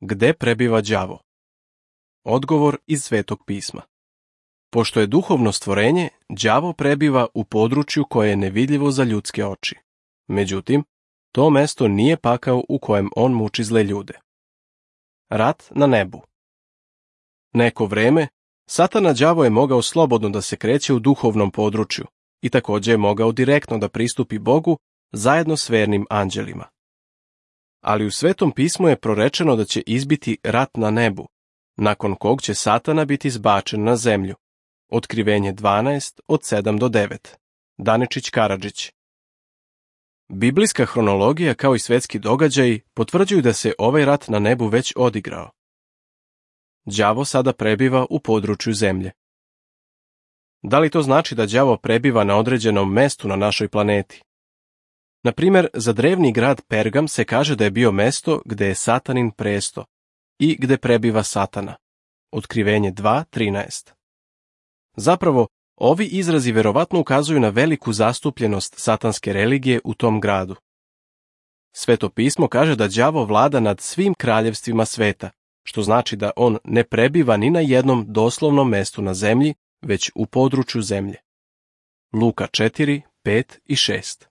Gde prebiva đavo? Odgovor iz Svetog pisma. Pošto je duhovno stvorenje, đavo prebiva u području koje je nevidljivo za ljudske oči. Međutim, to mesto nije pakao u kojem on muči zle ljude. Rat na nebu. Neko vreme, Satana đavo je mogao slobodno da se kreće u duhovnom području i također je mogao direktno da pristupi Bogu zajedno s vernim anđelima. Ali u Svetom pismu je prorečeno da će izbiti rat na nebu, nakon kog će Satana biti zbačen na zemlju. Otkrivenje 12 od 7 do 9. Daničić Karadžić. Biblijska hronologija kao i svetski događaji potvrđuju da se ovaj rat na nebu već odigrao. Đavo sada prebiva u području zemlje. Da li to znači da đavo prebiva na određenom mestu na našoj planeti? Na primjer, za drevni grad Pergam se kaže da je bio mesto gde je Satanin presto i gde prebiva Satana. Otkrivenje 2.13. Zapravo, ovi izrazi verovatno ukazuju na veliku zastupljenost satanske religije u tom gradu. Sveto pismo kaže da đavo vlada nad svim kraljevstvima sveta, što znači da on ne prebiva ni na jednom doslovnom mestu na zemlji, već u području zemlje. Luka 4, 5 i 6.